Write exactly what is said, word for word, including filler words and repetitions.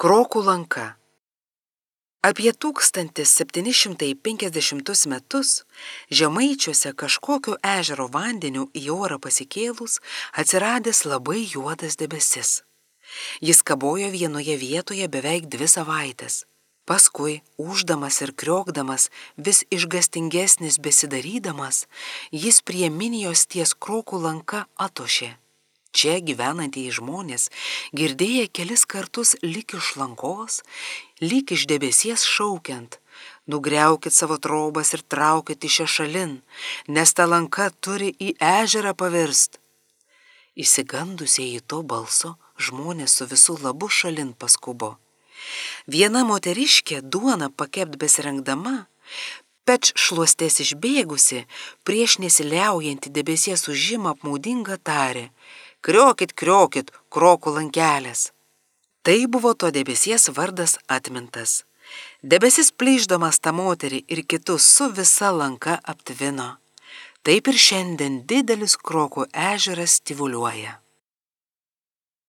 Krokų lanka. Apie tūkstantis septyni šimtai penkiasdešimtus metus Žemaičiuose kažkokio ežero vandeniu į orą pasikėlus atsiradęs labai juodas debesis. Jis kabojo vienoje vietoje beveik dvi savaites. Paskui, ūždamas ir kriokdamas, vis išgastingesnis besidarydamas, jis prie Minijos ties Krokų lanka atošė. Čia gyvenantieji žmonės, girdėję kelis kartus lyg iš lankos, lyg iš debesies šaukiant: nugriaukit savo trobas ir traukit iš čia šalin, nes ta lanka turi į ežerą pavirst. Išsigandusieji to balso, žmonės su visų labu šalin paskubo. Viena moteriškė duoną pakept besirengdama, peč šluostes išbėgusi, prieš nesiliaujantį debesies užimą apmaudingą tarė: kriokit, kriokit, Krokų lankelės. Tai buvo to debesies vardas atmintas. Debesis plyšdamas tą moterį ir kitus su visa lanka aptvino. Taip ir šiandien didelis Krokų ežeras tyvuliuoja.